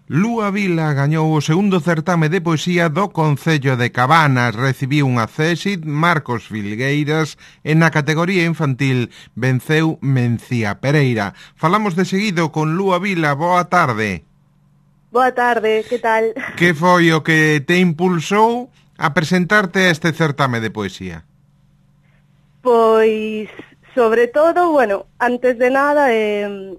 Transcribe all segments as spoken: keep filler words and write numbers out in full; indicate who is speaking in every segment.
Speaker 1: Lúa Vila gañou o segundo certame de poesía do Concello de Cabanas, recibiu unha Césit, Marcos Filgueiras, e na categoría infantil venceu Mencía Pereira. Falamos de seguido con Lúa Vila. Boa tarde.
Speaker 2: Boa tarde, que tal?
Speaker 1: Que foi o que te impulsou a presentarte a este certame de poesía?
Speaker 2: Pois, sobre todo, bueno, antes de nada, eh,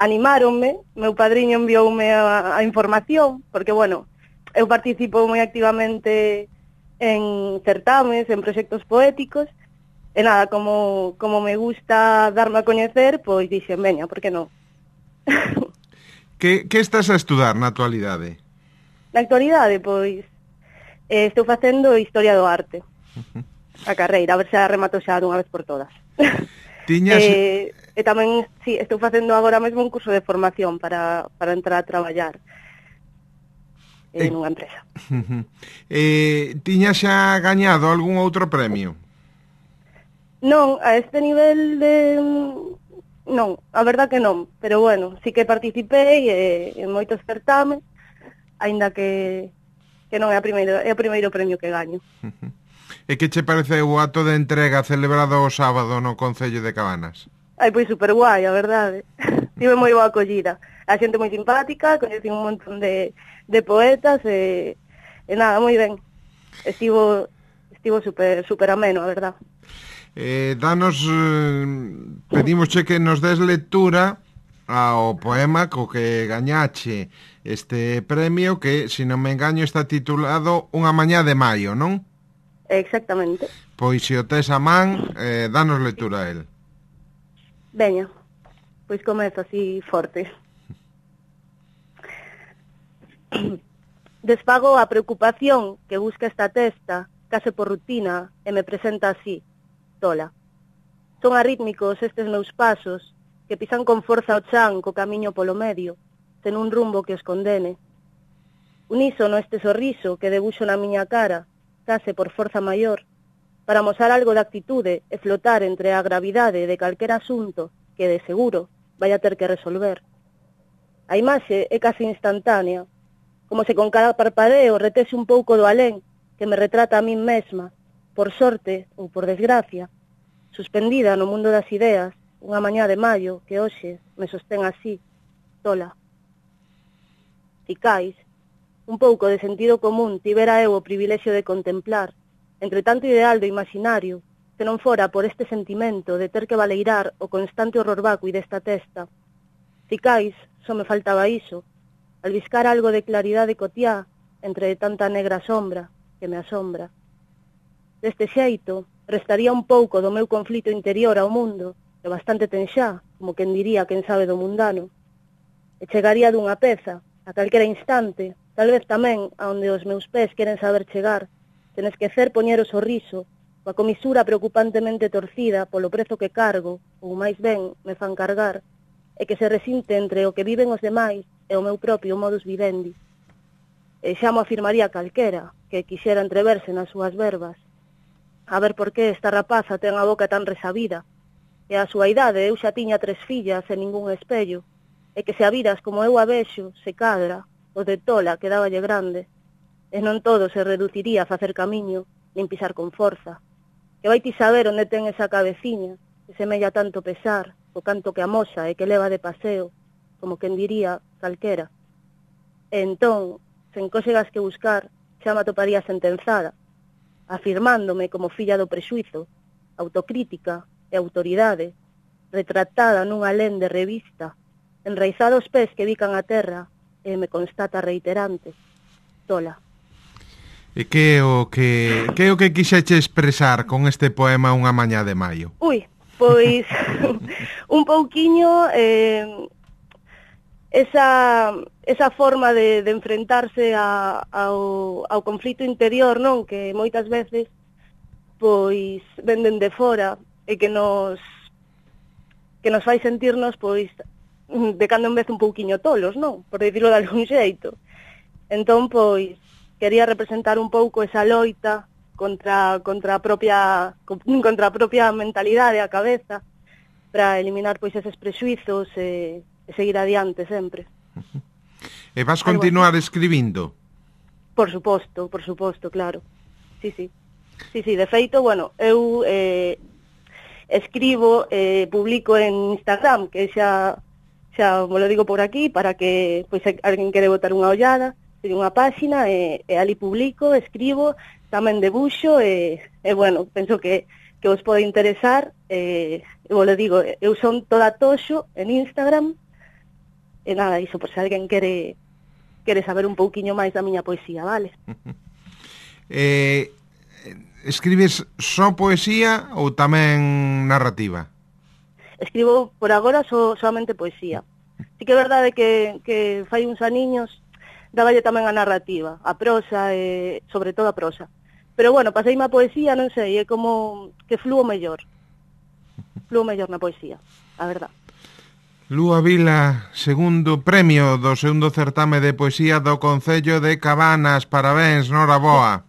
Speaker 2: animáronme, meu padriño envioume a, a información, porque, bueno, eu participo moi activamente en certames, en proxectos poéticos, e nada, como, como me gusta darme a coñecer, pois dixen, veña, por que non?
Speaker 1: Que, que estás a estudar na actualidade?
Speaker 2: Na actualidade, pois, eh, estou facendo Historia do Arte, uh-huh. a carreira, a ver se a remato xa dunha vez por todas.
Speaker 1: Tiñas...
Speaker 2: Eh, e tamén, sí, estou facendo agora mesmo un curso de formación para, para entrar a traballar en eh, unha empresa.
Speaker 1: Uh-huh. Eh, tiñas xa gañado algún outro premio?
Speaker 2: Non, a este nivel de... Non, a verdad que non, pero bueno, sí que participei eh, en moitos certames, aínda que, que non é, a primeiro, é o primeiro premio que gaño.
Speaker 1: Uh-huh. E que che parece o acto de entrega celebrado o sábado no Concello de Cabanas?
Speaker 2: Ai, pois super guai, a verdade. Tive moi boa acollida. A xente moi simpática, coñeci un montón de, de poetas e, e nada, moi ben. Estivo estivo super, super ameno, a verdad.
Speaker 1: Eh, danos, eh, pedimosche que nos des lectura ao poema co que gañache este premio que, se non me engaño, está titulado Unha mañá de maio, non?
Speaker 2: Exactamente.
Speaker 1: Pois se o tes a man, eh, danos lectura a él.
Speaker 2: Veña, pois comezo así forte. Desfago a preocupación que busca esta testa, case por rutina, e me presenta así, tola. Son arrítmicos estes meus pasos, que pisan con forza o chan co camiño polo medio, ten un rumbo que os condene. Unísono este sorriso que debuxo na miña cara, case por forza maior, para mostrar algo de actitude e flotar entre a gravidade de calquera asunto que, de seguro, vai a ter que resolver. A imaxe é case instantánea, como se con cada parpadeo retese un pouco do alén que me retrata a min mesma, por sorte ou por desgracia, suspendida no mundo das ideas, unha mañá de maio que hoxe me sostén así, tola. Ficais, un pouco de sentido común tivera eu o privilexio de contemplar, entre tanto ideal do imaginario, se non fora por este sentimento de ter que valeirar o constante horror vacui desta testa. Ficais, só me faltaba iso, albiscar algo de claridade cotiá entre tanta negra sombra que me asombra. Deste xeito, restaría un pouco do meu conflito interior ao mundo, que bastante ten xa, como quen diría quen sabe do mundano, e chegaría dunha peza, a calquera instante, tal vez tamén a onde os meus pés queren saber chegar, sen esquecer poñer o sorriso, coa comisura preocupantemente torcida polo prezo que cargo, ou máis ben me fan cargar, e que se resinte entre o que viven os demais e o meu propio modus vivendi. E xa mo afirmaría calquera, que quixera entreverse nas súas verbas. A ver por que esta rapaza ten a boca tan resabida, e a súa idade eu xa tiña tres fillas e ningún espello, e que se a viras como eu a vexo, se cadra, o de tola quedáballe grande, e non todo se reduciría a facer camiño, nin pisar con forza, que vai ti saber onde ten esa cabeciña, que semella tanto pesar, o canto que amosa e que leva de paseo, como quen diría calquera. E entón, sen cósegas que buscar, xa me atoparía sentenzada, afirmándome como filla do prexuizo, autocrítica e autoridade, retratada nun alén de revista, enraizada os pés que bican a terra, e me constata reiterante, tola.
Speaker 1: E que é o que que é o que quixeche expresar con este poema Unha mañá de maio?
Speaker 2: Ui, pois un pouquiño eh, esa esa forma de, de enfrentarse a, ao, ao conflito interior, non? Que moitas veces pois venden de fora e que nos que nos fai sentirnos pois de cando en vez un pouquiño tolos, non? Por dicirlo de algún xeito. Entón, pois quería representar un pouco esa loita contra contra a propia contra a propia mentalidade, a cabeza, para eliminar pois eses prexuizos e, e seguir adiante sempre.
Speaker 1: E vas continuar escribindo?
Speaker 2: Por suposto, por suposto, claro. Sí, sí. Sí, sí, de feito, bueno, eu eh, escribo, eh, publico en Instagram, que xa, xa me lo digo por aquí, para que pois, se alguén quere botar unha ollada, teño unha páxina, e, e ali publico, escribo, tamén debuxo, e, e bueno, penso que, que vos pode interesar, e, e vos lo digo, eu son toda toxo en Instagram, e nada, iso, por se alguén quere, quere saber un pouquiño máis da miña poesía, vale?
Speaker 1: Eh... Escribes só poesía ou tamén narrativa?
Speaker 2: Escribo por agora só, solamente poesía. Sí que é verdade que, que fai uns aniños dáballe tamén a narrativa, a prosa, e, sobre todo a prosa. Pero bueno, paseime a poesía, non sei, é como que fluo mellor. Fluo mellor na poesía, a verdad.
Speaker 1: Lúa Vila, segundo premio do segundo certame de poesía do Concello de Cabanas. Parabéns, noraboa.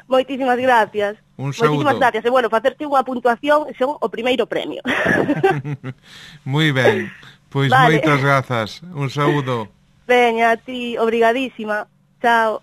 Speaker 2: Moitísimas gracias.
Speaker 1: Un saúdo.
Speaker 2: Moitísimas gracias. E, bueno, facerte unha puntuación son o primeiro premio.
Speaker 1: Moi ben. Pois vale. Moitas grazas. Un saúdo.
Speaker 2: Veña, a ti, obrigadísima. Chao.